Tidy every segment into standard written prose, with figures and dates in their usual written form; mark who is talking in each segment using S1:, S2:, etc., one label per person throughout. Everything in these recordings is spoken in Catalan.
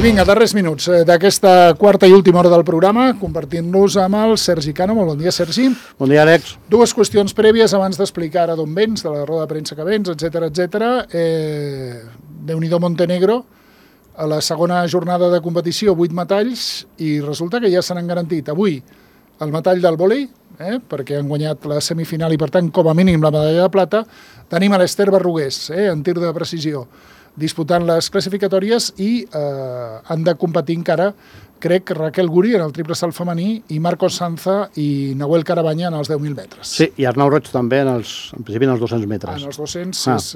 S1: vinga, darrers minuts d'aquesta quarta i última hora del programa, compartint-los amb el Sergi Cano. Molt bon dia, Sergi.
S2: Bon dia, Àlex.
S1: Dues qüestions prèvies abans d'explicar ara d'on vens, de la roda de premsa que vens, etc. Déu-n'hi-do Montenegro, a la segona jornada de competició, 8 metalls, i resulta que ja se n'han garantit avui el metall del vòlei, perquè han guanyat la semifinal i, per tant, com a mínim la medalla de plata. Tenim a l'Ester Berrugués, en tir de precisió, disputant les classificatòries, i han de competir encara, crec, Raquel Guri en el triple salt femení i Marcos Sanza i Nahuel Carabanya en els 10.000 metres.
S2: Sí, i Arnau Roig també en principi en els 200 metres.
S1: En els 200 és...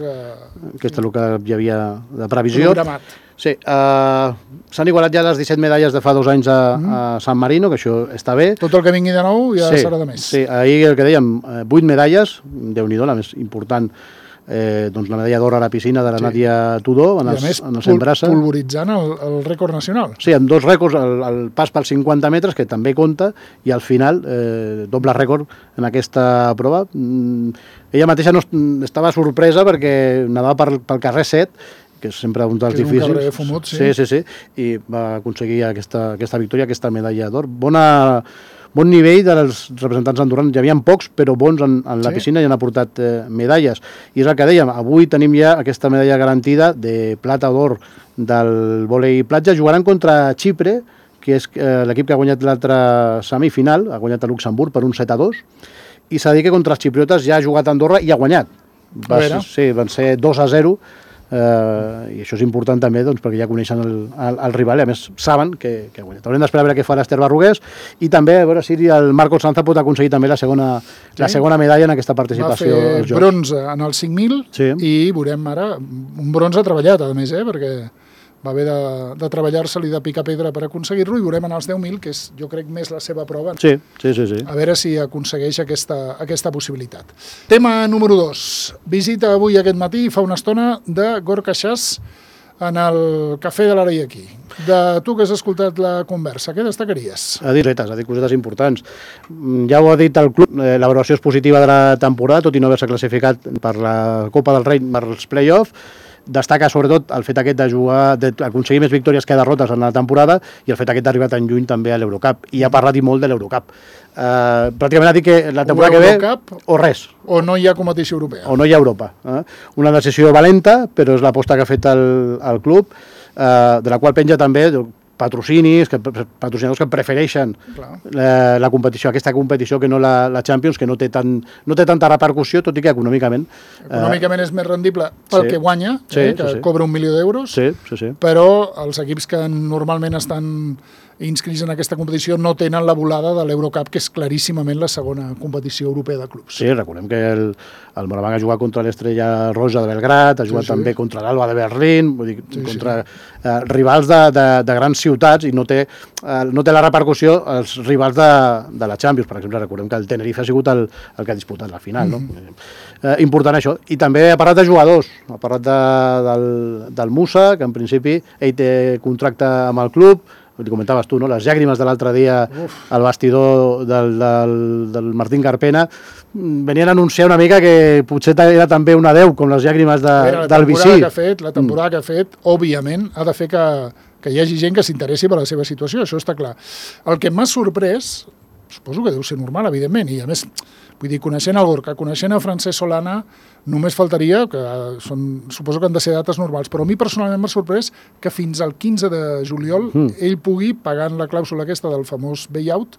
S2: Aquest és el que hi havia de previsió.
S1: Programat.
S2: Sí, s'han igualat ja les 17 medalles de fa 2 anys a San Marino, que això està bé.
S1: Tot el que vingui de nou ja serà de més.
S2: Sí, ahir el que dèiem, 8 medalles, Déu-n'hi-do, la més important, doncs la medalla d'or a la piscina de la Nàdia Tudó en els 100 braça.
S1: Polvoritzant el rècord nacional.
S2: Sí, amb 2 rècords, el pas pels 50 metres, que també compta, i al final doble rècord en aquesta prova. Ella mateixa no estava sorpresa perquè anava pel carrer 7, que és sempre un dels difícils.
S1: Un carrer fumut, sí.
S2: Sí, i va aconseguir aquesta victòria, aquesta medalla d'or. Bon nivell dels representants andorrans. Hi havia pocs, però bons en la piscina, i han aportat medalles. I és el que dèiem, avui tenim ja aquesta medalla garantida de plata o d'or del vòlei platja. Jugaran contra Xipre, que és l'equip que ha guanyat l'altra semifinal, ha guanyat a Luxemburg per un 7-2, i s'ha de dir que contra els xipriotes ja ha jugat a Andorra i ha guanyat. Van ser 2-0, i això és important també perquè ja coneixen el rival i a més saben que ha guanyat. Haurem d'esperar a veure què fa l'Ester Berrugués i també a veure si el Marcos Sanza pot aconseguir també la segona medalla en aquesta participació als Jocs.
S1: Va fer bronze en els 5.000 i veurem ara un bronze treballat, a més, perquè va haver de treballar-se-li de picar pedra per aconseguir-lo, i veurem en els 10.000, que és, jo crec, més la seva prova.
S2: Sí.
S1: A veure si aconsegueix aquesta possibilitat. Tema número 2. Visita avui aquest matí, fa una estona, de Gorka Chas en el Cafè de l'Arei aquí. De tu que has escoltat la conversa, què destacaries?
S2: Ha dit cosetes importants. Ja ho ha dit el club, la valoració és positiva de la temporada, tot i no haver-se classificat per la Copa del Rei, per els play-off. Destaca sobretot el fet aquest d'aconseguir més victòries que derrotes en la temporada, i el fet aquest d'arribar tan lluny també a l'Eurocup, i ha parlat i molt de l'Eurocup. Pràcticament ha dit que la temporada que ve o res.
S1: O no hi ha competició europea.
S2: O no hi ha Europa. Una decisió valenta, però és l'aposta que ha fet el club, de la qual penja també patrocinadors que prefereixen la competició, aquesta competició, que no la Champions, que no té tanta repercussió, tot i que econòmicament...
S1: Econòmicament és més rendible pel que guanya, que cobra 1 milió d'euros, però els equips que normalment estan inscrits en aquesta competició no tenen la volada de l'Eurocup, que és claríssimament la segona competició europea de clubs.
S2: Sí, recordem que el Moraván ha jugat contra l'Estrella Roja de Belgrat, ha jugat també contra l'Alba de Berlín, vull dir, contra rivals de grans ciutats, i no té la repercussió els rivals de la Champions. Per exemple, recordem que el Tenerife ha sigut el que ha disputat la final. Important això. I també ha parlat de jugadors, ha parlat del Musa, que en principi ell té contracte amb el club. Ho comentaves tu, les llàgrimes de l'altre dia al bastidor del Martín Carpena venien a anunciar una mica que potser era també un adeu, com les llàgrimes del Vicí.
S1: La temporada que ha fet, òbviament, ha de fer que hi hagi gent que s'interessi per la seva situació, això està clar. El que m'ha sorprès, suposo que deu ser normal, evidentment, i a més, vull dir, coneixent el Gorka, coneixent a Francesc Solana, només faltaria, que suposo que han de ser dates normals, però a mi personalment m'ha sorprès que fins al 15 de juliol ell pugui, pagant la clàusula aquesta del famós buyout,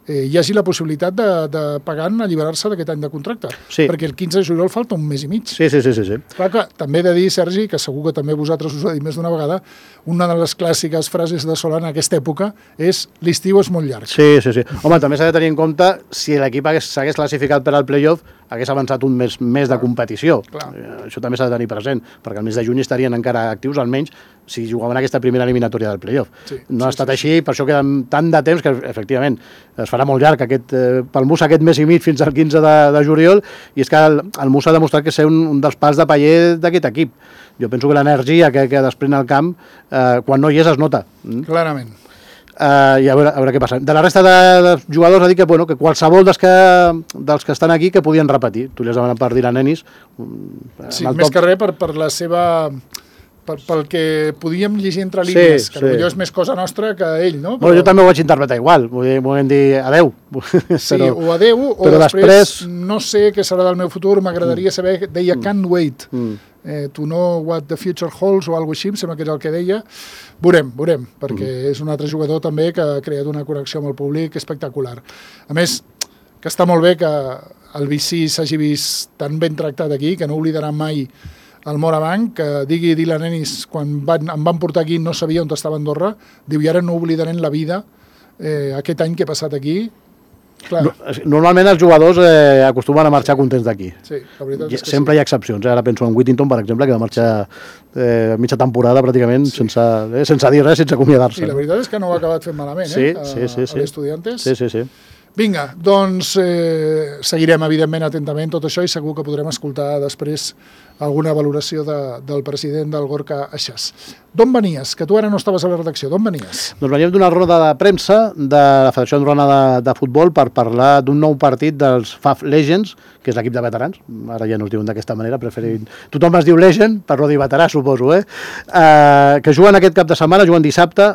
S1: hi hagi la possibilitat de pagant alliberar-se d'aquest any de contracte, perquè el 15 de juliol falta un mes i mig.
S2: Sí.
S1: Clar que també he de dir, Sergi, que segur que també vosaltres us ho he dit més d'una vegada, una de les clàssiques frases de Solana en aquesta època és l'estiu és molt llarg.
S2: Sí. Home, també s'ha de tenir en compte si l'equip s'hagués classificat per al playoff, hagués avançat un mes més de competició. Això també s'ha de tenir present, perquè el mes de juny estarien encara actius, almenys si jugaven aquesta primera eliminatòria del playoff. No ha estat així, per això queda tant de temps que, efectivament, es farà molt llarg pel Musa aquest mes i mig fins al 15 de juliol, i és que el Musa ha demostrat que és un dels pals de paller d'aquest equip. Jo penso que l'energia que desprèn al camp, quan no hi és, es nota.
S1: Clarament.
S2: I a veure què passa. De la resta de jugadors ha dit que qualsevol dels que estan aquí que podien repetir. Tu li has demanat per dir a Nenis.
S1: Sí, més que res per la seva pel que podíem llegir entre línies, que potser és més cosa nostra que ell, no?
S2: Bueno, jo també ho vaig interpretar igual, volem dir adeu.
S1: Sí, o adeu, o després no sé què serà del meu futur, m'agradaria saber, deia can't wait, to know what the future holds o alguna cosa així, em sembla que és el que deia. Veurem, perquè és un altre jugador també que ha creat una connexió amb el públic espectacular. A més, que està molt bé que el BC s'hagi vist tan ben tractat aquí, que no oblidarà mai el Morabanc, que digui Dylan Ennis, quan em van portar aquí no sabia on estava Andorra, diu, i ara no oblidarem la vida aquest any que he passat aquí. Clar.
S2: Normalment els jugadors acostumen a marxar contents d'aquí.
S1: Sí, la veritat és que
S2: sempre hi ha excepcions. Ara penso en Whittington, per exemple, que va marxar mitja temporada pràcticament sense dir res, sense acomiadar-se.
S1: I la veritat és que no ho ha acabat fent malament, a l'Estudiantes.
S2: Sí.
S1: Vinga, doncs seguirem evidentment atentament tot això i segur que podrem escoltar després alguna valoració del president del Gorka Aixàs. D'on venies? Que tu ara no estaves a la redacció. D'on venies?
S2: Doncs veníem d'una roda de premsa de la Federació Andorrana de Futbol per parlar d'un nou partit dels FAF Legends, que és l'equip de veterans. Ara ja no es diuen d'aquesta manera, preferint... Tothom es diu Legend, per no dir veterà, suposo, que juguen aquest cap de setmana, juguen dissabte,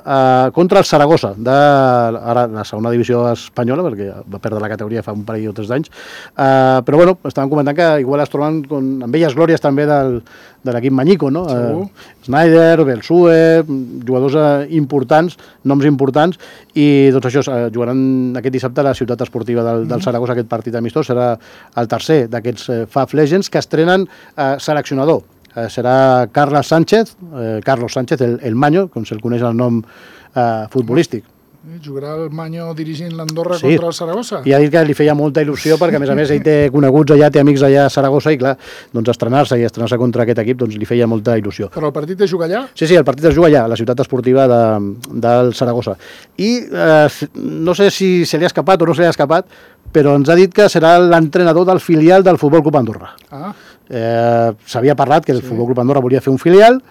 S2: contra el Saragossa, de ara la segona divisió espanyola, perquè va perdre la categoria fa un parell o 3 d'anys. Però bueno, estàvem comentant que igual es troben amb velles glòries també de l'equip Mañico, no? Snyder, Belsue, jugadors importants, noms importants, i doncs això, jugaran aquest dissabte a la ciutat esportiva del Saragossa, aquest partit amistós, serà el tercer d'aquests FAF Legends que estrenen seleccionador. Serà Carlos Sánchez, el Maño, com se'l coneix el nom futbolístic.
S1: Jugarà el Maño dirigint l'Andorra contra el Saragossa.
S2: I ha dit que li feia molta il·lusió perquè, a més, ell té coneguts allà, té amics allà a Saragossa i, clar, doncs estrenar-se contra aquest equip doncs li feia molta il·lusió.
S1: Però el partit es juga allà?
S2: Sí, el partit es juga allà, a la ciutat esportiva del Saragossa. I no sé si se li ha escapat o no se li ha escapat, però ens ha dit que serà l'entrenador del filial del Futbol Club Andorra. S'havia parlat que el Futbol Club Andorra volia fer un filial,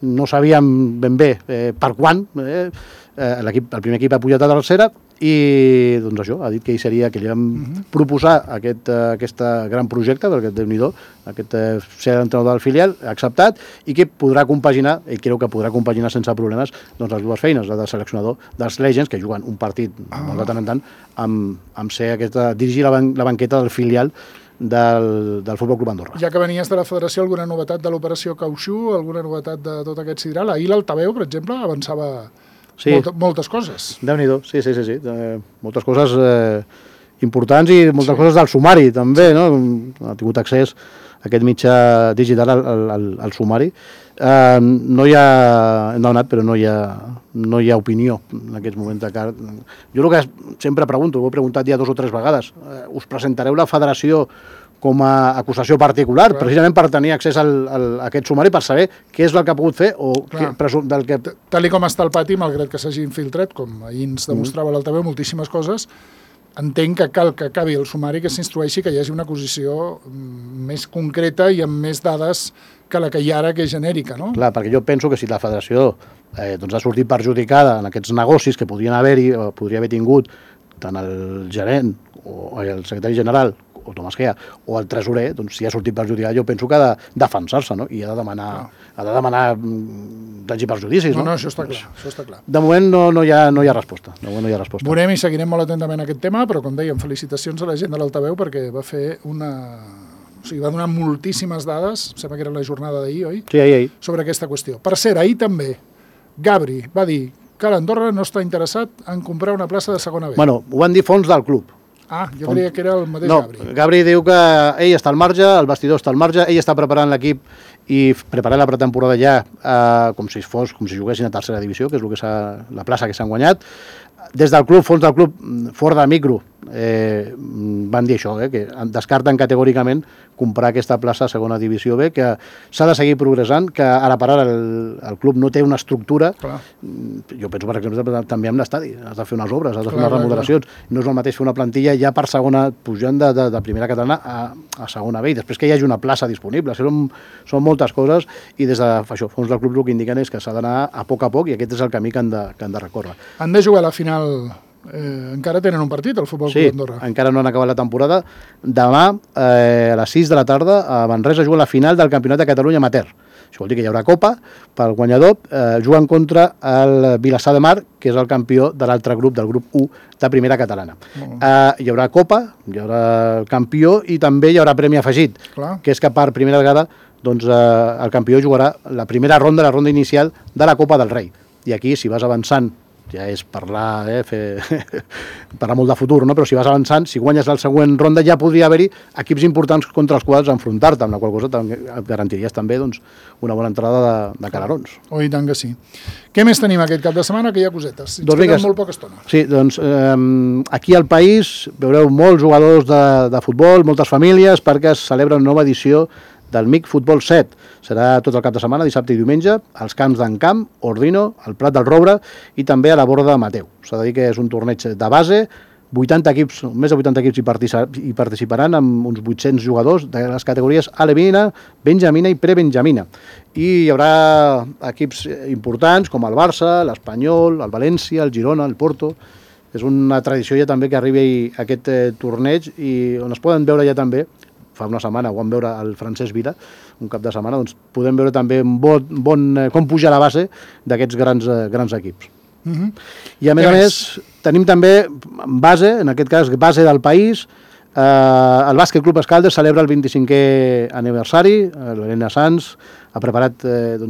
S2: no sabíem ben bé per quan, el primer equip ha pujat a tercera i doncs això, ha dit que ell seria que li vam proposar aquest gran projecte, perquè Déu-n'hi-do, aquest ser l'entrenador del filial, ha acceptat i que podrà compaginar, ell creu que podrà compaginar sense problemes doncs les dues feines, la de seleccionador dels Legends, que juguen un partit molt de tant en tant, amb ser dirigir la banqueta del filial del Futbol Club Andorra.
S1: Ja que venies de la federació, alguna novetat de l'operació Cautxú, alguna novetat de tot aquest sidral? Ahir l'Altaveu, per exemple, avançava moltes coses.
S2: Déu-n'hi-do, sí. Moltes coses importants i moltes coses del sumari, també, no? Ha tingut accés a aquest mitjà digital al sumari. No hi ha... Hem demanat, però no hi ha opinió en aquests moments. Jo el que sempre pregunto, ho he preguntat ja 2 o 3 vegades, us presentareu la federació com a acusació particular, precisament per tenir accés a aquest sumari, per saber què és el que ha pogut fer o del que...
S1: Tal com està el pati, malgrat que s'hagi infiltrat, com ahir ens demostrava l'Altaveu, moltíssimes coses, entenc que cal que acabi el sumari, que s'instrueixi, que hi hagi una acusació més concreta i amb més dades que la que hi ha ara, que és genèrica, no?
S2: Clar, perquè jo penso que si la federació ha sortit perjudicada en aquests negocis que podrien haver-hi, o podria haver tingut tant el gerent o el secretari general o Tomàs Gea, o el tresorer, doncs si ha sortit perjudicat, jo penso que ha de defensar-se, no? I ha de demanar danys i perjudicis, no?
S1: No, això està clar.
S2: De moment no hi ha resposta.
S1: Veurem i seguirem molt atentament aquest tema, però com dèiem, felicitacions a la gent de l'Altaveu perquè va fer va donar moltíssimes dades, em sembla que era la jornada d'ahir, oi?
S2: Sí, ahir.
S1: Sobre aquesta qüestió. Per cert, ahir també, Gabri va dir que l'Andorra no està interessat en comprar una plaça de segona B.
S2: Bueno, ho van dir fons del club.
S1: Jo creia que era el mateix Gabri.
S2: No, Gabri diu que ell està al marge, el vestidor està al marge, ell està preparant l'equip i preparant la pretemporada ja com si juguessin a tercera divisió, que és la plaça que s'han guanyat. Des del club, fons del club, fora de micro, van dir això, que descarten categòricament comprar aquesta plaça a segona divisió B, que s'ha de seguir progressant, que ara per ara el club no té una estructura. Jo penso, per exemple, també amb l'estadi, has de fer unes obres, has de fer unes remodelacions, no és el mateix fer una plantilla ja per segona, pujant de primera catalana a segona B, i després que hi hagi una plaça disponible. Són moltes coses, i des de fons del club el que indiquen és que s'ha d'anar a poc, i aquest és el camí que han de recórrer.
S1: Han de jugar a la final. Encara tenen un partit, el Futbol Club Andorra.
S2: Sí, encara no han acabat la temporada. Demà, a les 6 de la tarda, a Manresa juga la final del Campionat de Catalunya Amateur, Això vol dir que hi haurà copa pel guanyador, jugant contra el Vilassar de Mar, que és el campió de l'altre grup, del grup 1 de primera catalana. Hi haurà copa, hi haurà campió i també hi haurà premi afegit, que és que per primera vegada doncs, el campió jugarà la primera ronda, la ronda inicial de la Copa del Rei. I aquí, si vas avançant, ja és parlar, parlar molt de futur, no? Però si vas avançant, si guanyes la següent ronda, ja podria haver-hi equips importants contra els quals enfrontar-te, amb la qual cosa et garantiries també doncs, una bona entrada de calarons.
S1: Oh, i tant que sí. Què més tenim aquest cap de setmana? Que hi ha cosetes. Ens queda molt poca estona.
S2: Sí, doncs aquí al país veureu molts jugadors de futbol, moltes famílies, perquè es celebra una nova edició del MIC Futbol 7. Serà tot el cap de setmana, dissabte i diumenge, als camps d'Encamp, Ordino, al Prat del Roure i també a la Borda de Mateu. S'ha de dir que és un torneig de base, 80 equips, més de 80 equips hi participaran amb uns 800 jugadors de les categories alevina, benjamina i prebenjamina. I hi haurà equips importants com el Barça, l'Espanyol, el València, el Girona, el Porto. És una tradició ja també que arribi aquest torneig i on es poden veure ja també, fa una setmana ho vam veure el Francesc Vila, un cap de setmana, doncs podem veure també com puja la base d'aquests grans equips. I a més, tenim també base, en aquest cas base del país, el Bàsquet Club Escaldes celebra el 25è aniversari, l'Helena Sanz ha preparat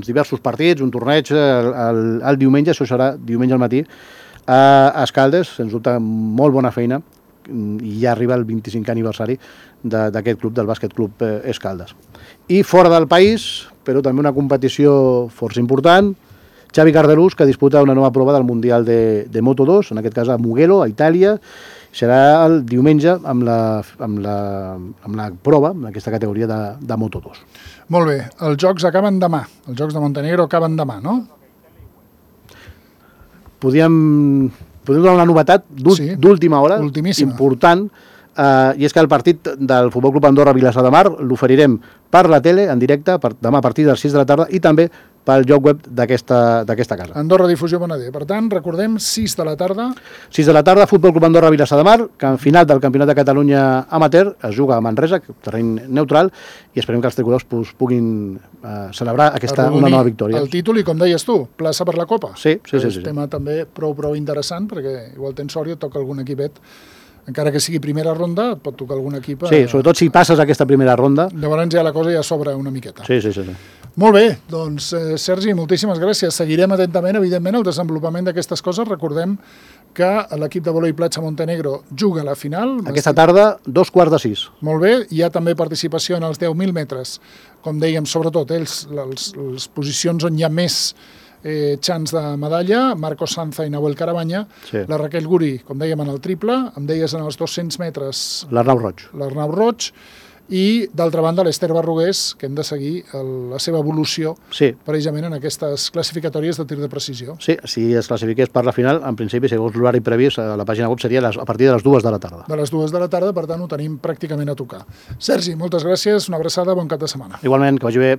S2: diversos partits, un torneig el diumenge, això serà diumenge al matí, a Escaldes, sens dubte molt bona feina, i ja arriba el 25è aniversari d'aquest club, del Bàsquet Club Escaldes. I fora del país, però també una competició força important, Xavi Cardelús, que disputa una nova prova del Mundial de Moto2, en aquest cas a Mugello, a Itàlia. Serà el diumenge amb la prova, en aquesta categoria de Moto2.
S1: Molt bé, els jocs acaben demà, els jocs de Montenegro acaben demà, no?
S2: Podríem donar una novetat d'última hora, important, i és que el partit del Futbol Club Andorra Vilassar de Mar l'oferirem per la tele, en directe, demà a partir de les 6 de la tarda, i també pel lloc web d'aquesta casa.
S1: Andorra Difusió Bonader. Per tant, recordem, 6 de la tarda.
S2: 6 de la tarda, Futbol Club Andorra Vilassar de Mar, que en final del Campionat de Catalunya amateur es juga a Manresa, terreny neutral, i esperem que els tricolors puguin celebrar una nova victòria.
S1: El títol i, com deies tu, plaça per la Copa.
S2: Sí.
S1: És un tema també prou interessant, perquè igual tens sort i et toca algun equipet, encara que sigui primera ronda, et pot tocar algun equip.
S2: Sí, sobretot si passes aquesta primera ronda.
S1: Llavors ja la cosa ja s'obre una miqueta.
S2: Sí.
S1: Molt bé, doncs Sergi, moltíssimes gràcies. Seguirem atentament, evidentment, el desenvolupament d'aquestes coses. Recordem que l'equip de vòlei platja Montenegro juga a la final.
S2: Aquesta tarda, 5:15.
S1: Molt bé, hi ha també participació en els 10.000 metres. Com dèiem, sobretot, les posicions on hi ha més xans de medalla, Marcos Sanza i Nahuel Carabanya, la Raquel Guri, com dèiem, en el triple, em deies en els 200 metres l'Arnau Roig, i d'altra banda l'Ester Barrugués, que hem de seguir la seva evolució precisament en aquestes classificatòries de tir de precisió.
S2: Sí, si es classifiqués per la final, en principi, segons l'horari previst, a la pàgina web seria a partir de les 2 de la tarda.
S1: De les 2 de la tarda, per tant, ho tenim pràcticament a tocar. Sergi, moltes gràcies, una abraçada, bon cap de setmana.
S2: Igualment, que vagi bé.